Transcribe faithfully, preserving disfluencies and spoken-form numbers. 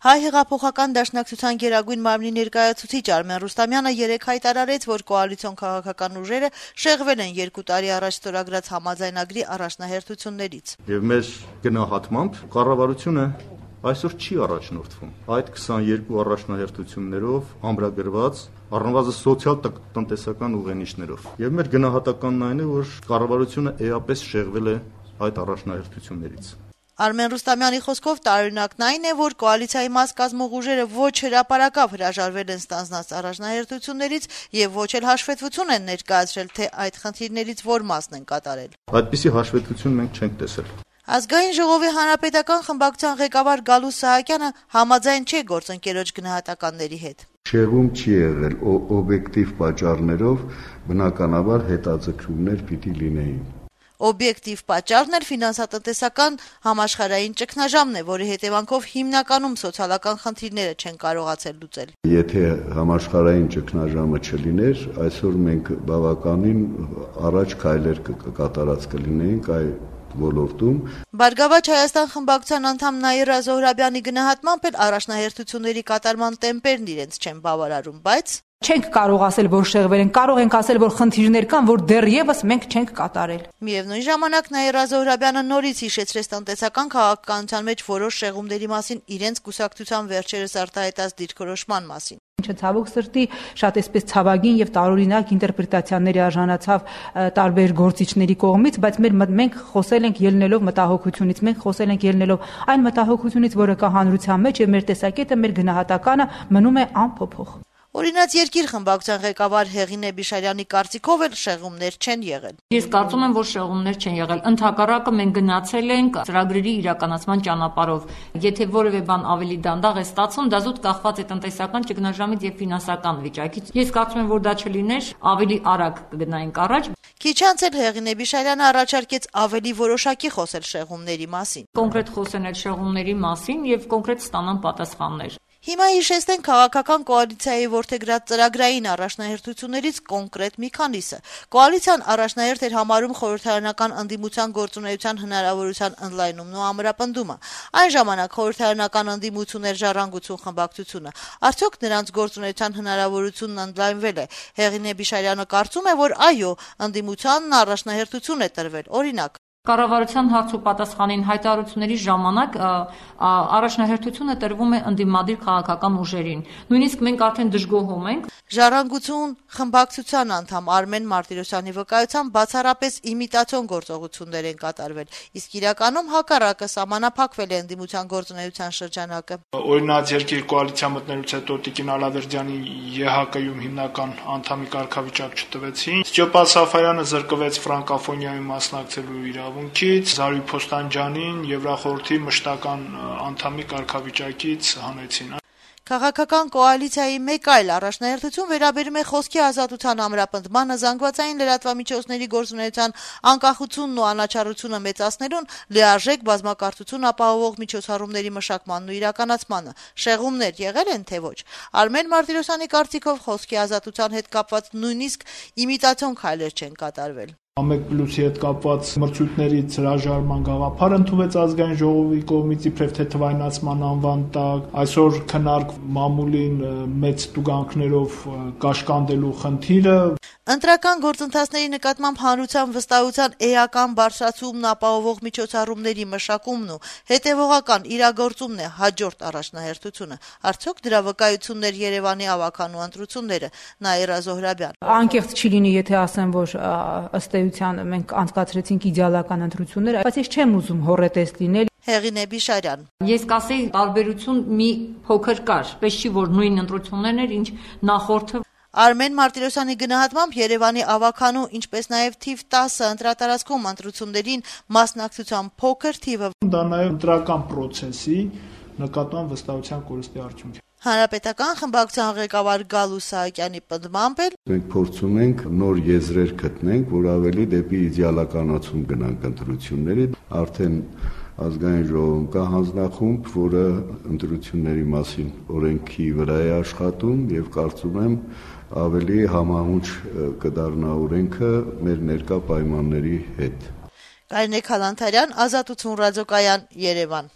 Հայ հեղափոխական դաշնակցության գերագույն մարմնի ներկայացուցիչ Արմեն Ռուստամյանը երեկ հայտարարեց, որ կոալիցիոն քաղաքական ուժերը շեղվել են երկու տարի առաջ ստորագրած համաձայնագրի առաջնահերթություններից։ Եվ մեր գնահատմամբ կառավարությունը այսօր չի առաջնորդվում այդ քսաներկու առաջնահերթություններով ամրագրված առնվազն սոցիալ-տնտեսական ուղենիշներով։ Եվ մեր գնահատականն այն է, որ կառավարությունը էապես շեղվել է այդ առաջնահերթություններից։ Արմեն Ռուստամյանի խոսքով տարօրինակն այն է, որ կոալիցիայի մաս կազմող ուժերը ոչ հրապարակավ հրաժարվել են ստանձնած առաջնահերթություններից եւ ոչ էլ հաշվետվություն են ներկայացրել, թե այդ խնդիրներից որ մասն են կատարել։ Այդպիսի հաշվետվություն մենք չենք տեսել։ Ազգային ժողովի հանրապետական խմբակցության ղեկավար Գալուս Սահակյանը համաձայն չէ գործընկերոջ գնահատականների հետ։ Շեղում չի եղել օբյեկտիվ պատճառներով, բնականաբար հետաձգումներ պիտի լինեին։ Օբյեկտիվ պատճառն էլ ֆինանսատնտեսական համաշխարհային ճգնաժամն է, որի հետևանքով հիմնականում սոցիալական խնդիրները չեն կարողացել լուծել։ Եթե համաշխարհային ճգնաժամը չլիներ, այսօր մենք բավականին առաջ քայլեր կկատարած կլինեինք այ ոլորտում։ Բարգավաճ Հայաստան խմբակցության անդամ Նաիրա Զոհրաբյանի գնահատմամբ էլ առաջնահերթությունների կատարման տեմպերն իրենց չեն բավարարում, բայց չենք կարող ասել, որ շեղվել են, կարող ենք ասել, որ խնդիրներ կան, որ դեռևս մենք չենք կատարել։ Միևնույն ժամանակ Նաիրա Զոհրաբյանը նորից հիշեցրեց տնտեսական քաղաքականության մեջ որոշ շեղումների մասին իրենց կուսակցության վերջերս արտահայտած դիրքորոշման մասին։ Ինչը ցավոք սրտի շատ էսպես ցավագին եւ տարօրինակ ինտերպրետացիաների արժանացավ տարբեր գործիչների կողմից, բայց մեր մենք խոսել ենք ելնելով մտահոգությունից, մենք խոսել ենք ելնելով այն մտահոգությունից, որը կա հանրության մեջ, եւ մեր տեսակետը, մեր գնահատականը մնում է անփոփոխ։ Օրինաց երկիր խմբակցության ղեկավար Հեղինե Բիշարյանի կարծիքով էլ շեղումներ չեն եղել։ Ես կարծում եմ, որ շեղումներ չեն եղել։ Ընդհակառակը մենք գնացել ենք ծրագրերի իրականացման ճանապարհով։ Եթե որևէ բան ավելի դանդաղ է ստացվում, դա զուտ կախված է տնտեսական ճգնաժամից եւ ֆինանսական վիճակից։ Ես կարծում եմ, որ դա չլիներ, ավելի արագ կգնայինք առաջ։ Քիչ անց էլ Հեղինե Բիշարյանը առաջարկեց ավելի որոշակի խոսել շեղումների մասին։ Կոնկրետ խոսեն այդ շեղումների մասին եւ կոնկրետ ստանան պատասխաններ։ Հիմա հիշեցնենք քաղաքական կոալիցիայի որդեգրած ծրագրային առաջնահերթություններից կոնկրետ մի քանիսը։ Կոալիցիան առաջնահերթ էր համարում խորհրդարանական ընդդիմության գործունեության հնարավորության ընդլայնումն ու ամրապնդումը։ Այն ժամանակ խորհրդարանական ընդդիմություն էր Ժառանգություն խմբակցությունը։ Արդյոք նրանց գործունեության հնարավորությունն ընդլայնվել է։ Հեղինե Բիշարյանը կարծում է, որ այո, ընդդիմությանն առաջնահերթություն է տրվել։ Օրինակ, Կառավարության հարց ու պատասխանին հայտարարությունների ժամանակ առաջնահերթությունը տրվում է ընդդիմադիր քաղաքական ուժերին։ Նույնիսկ մենք արդեն դժգոհում ենք։ Ժառանգություն խմբակցության անդամ Արմեն Մարտիրոսյանի վկայությամբ բացառապես իմիտացիոն գործողություններ են կատարվել, իսկ իրականում հակառակը սահմանափակվել է ընդդիմության գործունեության շրջանակը։ Օրինաց երկիր կոալիցիա մտնելուց հետո Տիկին Ալավերդյանի ԵՀԿ-ում հիմնական անդամի կարգավիճակ չտվեցին։ Ստեփան Սաֆարյանը զրկվեց ֆրանկոֆոնիայի մասնակցելու իրավունքից, Զարուհի Փոստանջյանին Եվրախորհրդի մշտական անդամի կարգավիճակից հանեցին։ Քաղաքական կոալիցիայի մեկ այլ առաջնահերթություն վերաբերում է խոսքի ազատության ամրապնդմանը, զանգվածային լրատվամիջոցների գործունեության անկախությունն ու անաչառությունը մեծացնելուն, լիարժեք բազմակարծություն ապահովող միջոցառումների մշակմանն ու իրականացմանը։ Շեղումներ եղել են, թե ոչ։ Արմեն Մարտիրոսյանի կարծիքով խոսքի ազատության հետ կապված նույնիսկ իմիտացիոն քայլեր չեն կատարվել։ Ամեկ պլյուսի հետ կապված մրցույթներից հրաժարման գաղափար ընդունվեց ազգային ժողովի կողմից իբրև թե թվայնացման անվան տակ, այսօր քննարկ մամուլին մեծ տուգանքներով կաշկանդելու խնդիրը։ Ընտրական գործընթացների նկատմամբ հանրության վստահության էական բարձրացումն ապահովող միջոցառումների մշակումն ու հետևողական իրագործումն է հաջորդ առաջնահերթությունը։ Արդյոք դրա վկայություններ Երևանի ավականու ընտրությունները։ Նաիրա Զոհրաբյան։ Անկեղծ չի լինի, եթե ասեմ, որ ըստ էության մենք անցկացրեցինք իդեալական ընտրություններ, բայց ես չեմ ուզում հոռետես լինել։ Հեղինե Բիշարյան։ Ես կասեի տարբերություն մի փոքր կար, պես չի որ նույն ընտրություններն էր, ինչ նախորդը։ Արմեն Մարտիրոսյանի գնահատմամբ Երևանի ավականու, ինչպես նաև թիվ տասը ընտրատարածքում ընտրություններին մասնակցության փոքր թիվը դա նաև ընտրական process-ի նկատմամբ վստահության կորստի արդյունք է։ Հանրապետական խմբակցության ղեկավար Գալուս Սահակյանի պնդմամբ էլ մենք փորձում ենք նոր եզրեր գտնենք, որ ավելի դեպի իդեալականացում գնանք ընտրությունների, արդեն ազգային ժողովում կա հանձնախումբ, որը ընտրությունների մասին օրենքի վրա է աշխատում եւ կարծում եմ ավելի համահունչ կդառնա օրենքը մեր ներկա պայմանների հետ։ Կարինե Քալանթարյան, Ազատություն ռադիոկայան, Երևան։